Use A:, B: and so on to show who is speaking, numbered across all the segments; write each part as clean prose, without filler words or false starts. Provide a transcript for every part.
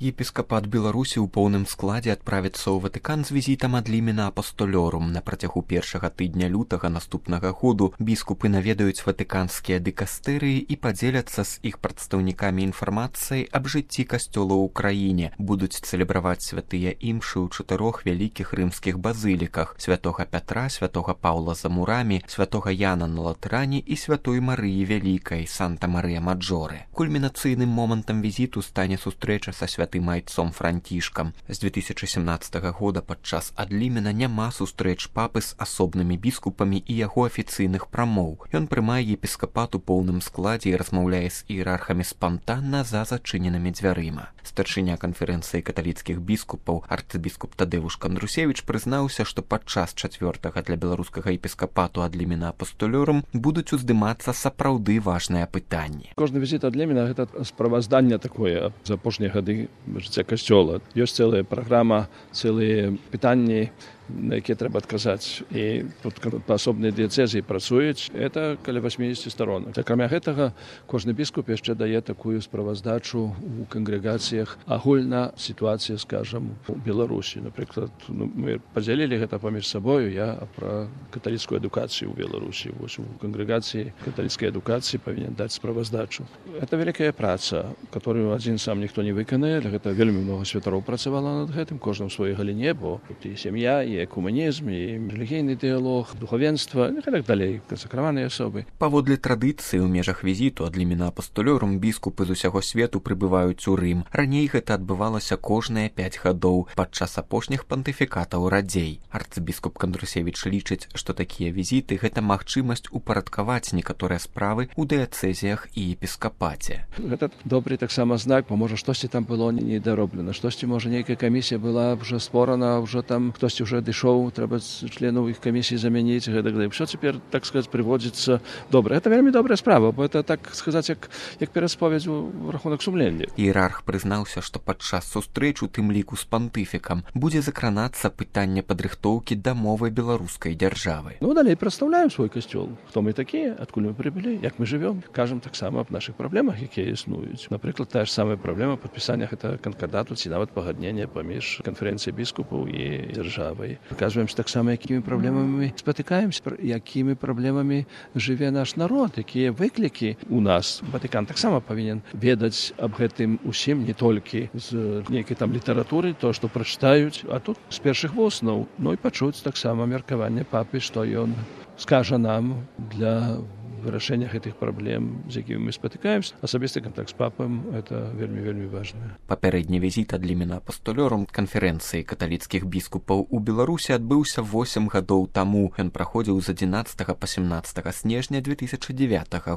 A: Епіскапат Беларусі ў поўным складзе адправіцца ў Ватыкан з візітам ад Лімена Апостолёрум. На працягу першага тыдня лютага наступнага году біскупы наведаюць ватыканскія дыкастэрыі і падзеляцца з іх прадстаўнікамі інфармацыяй аб жыцці касцёла ў краіне. Будуць цэлебраваць святыя імшы ў 4 вялікіх рымскіх базыліках: святога Пятра, святога Паўла за мурамі, святога Яна на Латэране і святой Марыі Вялікай, Санта-Марыя-Маджоре. Кульмінацыйным момантам візіту стане сустрэча са святым айцом Францішкам. З 2017 года падчас адлімена няма сустрэч папы з асобнымі біскупамі і яго афіцыйных прамоў. Ён прымае епіскапат у поўным складзе і размаўляе з іерархамі спантанна за зачыненымі дзвярыма. Старшыня канферэнцыі каталіцкіх біскупаў арцыбіскуп Тадэвуш Кандрусевіч прызнаўся, што падчас 4-га для беларускага епіскапату ад Лімена Апостолёрум будуць уздымацца сапраўды важныя пытанні.
B: Кожны візіт ад Лімена гэта справазданне такое за апошнія гады жыцця касцёла. Ёсць цэлая праграма, цэлыя пытанні, на якія трэба адказаць. І тут паасобныя дыяцэзіі працуюць. Это каля 80 сторонак. Акрамя гэтага, кожны біскуп яшчэ дае такую справаздачу ў кангрэгацыях. Агульна сітуацыя, скажам, у Беларусі. Напрыклад, мы падзялілі гэта паміж сабою. Я пра каталіцкую адукацыю ў Беларусі. Вось у кангрэгацыі каталіцкай адукацыі павінен даць справаздачу. Это вялікая праца, которую адзін сам ніхто не выканае. Гэта вельмі много святароў працавала над гэтым, кожным у сваёй галіне, бо тут і сям'я, і экуманізм, і рэлігійны дыялог, духавенства, і так далей, кансакраваныя асобы.
A: Паводле традыцыі ў межах візіту ад Лімена Апостолёрум біскупы з усяго свету прыбываюць у Рым. Раней гэта адбывалася кожныя 5 гадоў падчас апошніх пантыфікатаў радзей. Арцыбіскуп Кандрусевіч лічыць, што такія візіты гэта магчымасць упарадкаваць некаторыя справы ў дыяцэзіях і епіскапаце.
B: Гэта добры таксама знак, бо можа штосьці там было недароблена, штосьці можа нейкая камісія была ўжо створана, ўжо там хтосьці ўжо дышоў, трэба членаў іх камісіі замяніць, гэтак далей. Усё цяпер, так сказаць, прыводзіцца добра. Гэта вельмі добрая справа, бо это, так сказаць, як перасповедь у рахунак сумлення.
A: Іерарх прызнаўся, што падчас сустрэч у тым ліку з пантыфікам будзе закранацца пытанне падрыхтоўкі да мовы беларускай дзяржавы.
B: Далей прадстаўляем свой касцёл. Хто мы такія, адкуль мы прыбылі, як мы жывём. Кажам таксама аб нашых праблемах, якія існуюць. Напрыклад, тая ж самая праблема падпісання гэта канкардату ці нават пагаднення паміж канферэнцыяй біскупаў і дзяржавай. Паказваем таксама, якімі праблемамі спатыкаемся, якімі праблемамі жыве наш народ, якія выклікі у нас. Ватыкан таксама павінен ведаць аб гэтым усім, не толькі з нейкай там літаратуры, то, што прачытаюць, а тут з першых вуснаў. І пачуць таксама меркаванне папы, што ён скажа нам для вырашэння гэтых праблем, з якімі мы спатыкаемся. Асабісты кантакт з папам — это вельмі важна.
A: Папярэдні візіт ад Лімена Апостолёрум канферэнцыі каталіцкіх біскупаў у Беларусі адбыўся 8 гадоў таму. Ён праходзіў з 11 па 17 снежня 2009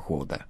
A: года.